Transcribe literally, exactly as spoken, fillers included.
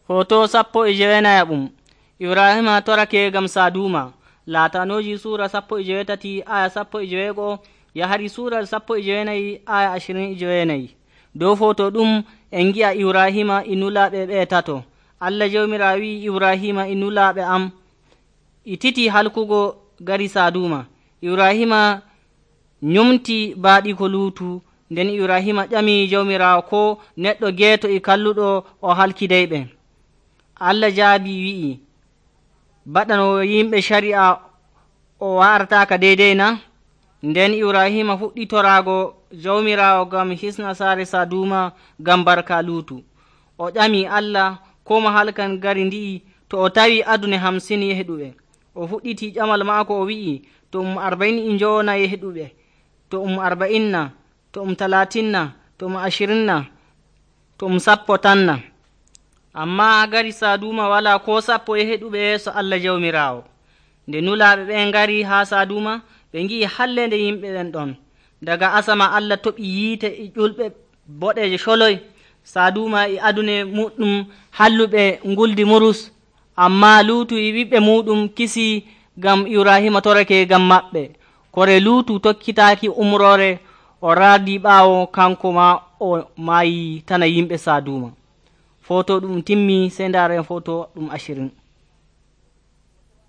Hoto sappo e jewenayaɓum Ibrahima torake gam saduma latanoji sura sappo e jewetati aya sappo e jewego yahari sura sappo e jewenayi aya ashirin e jewenayi. Dow foto ɗum en gi'a Ibrahima inulaɓe ɓe tato. Allah jawmirawo wi Ibrahima inulaɓe am ititi halkugo gari saduma. Ibrahima nyumti baaɗi ko luutu nden Ibrahima ƴami jawmirawo ko neɗɗo geeto e kalluɗo o halkidayɓe. Allah jaabi wi'i baɗano yimɓe shari'a o wartaka deydey na. Nden Ibrahima fuɗɗi torago jawmirawo gam hisna saare saduma gam barka luutu. O ƴami Allah ko mo halkan gari ndi'i to o tawi adune hamsin yehɗuɓe. O fuɗɗiti ƴamal maako o wi'i to um arba'in e njowona yehɗuɓe, to um arba'inna, to um talatinna, to um ashirinna, to um sappo tanna. Amma gari saduma wala ko sappo yehɗuɓe yeeso Allah jawmirawo. Nde nulaɓe ɓe ngari ha saduma ɓe ngi'i hallende yimɓe ɓen ɗon. Daga asama Allah toɓi yiite e ƴulɓe boɗeje sholoy. Saduma e adune muɗum halluɓe nguldi murus, amma luutu e ɓiɓɓe muɗum kisi gam Ibrahima torake gam maɓɓe. Kore luutu tokkitaki umrore o raadi ɓaawo kanko ma o maayi tana yimɓe saduma. Foto ɗum timmi sey ndaren foto ɗum ashirin.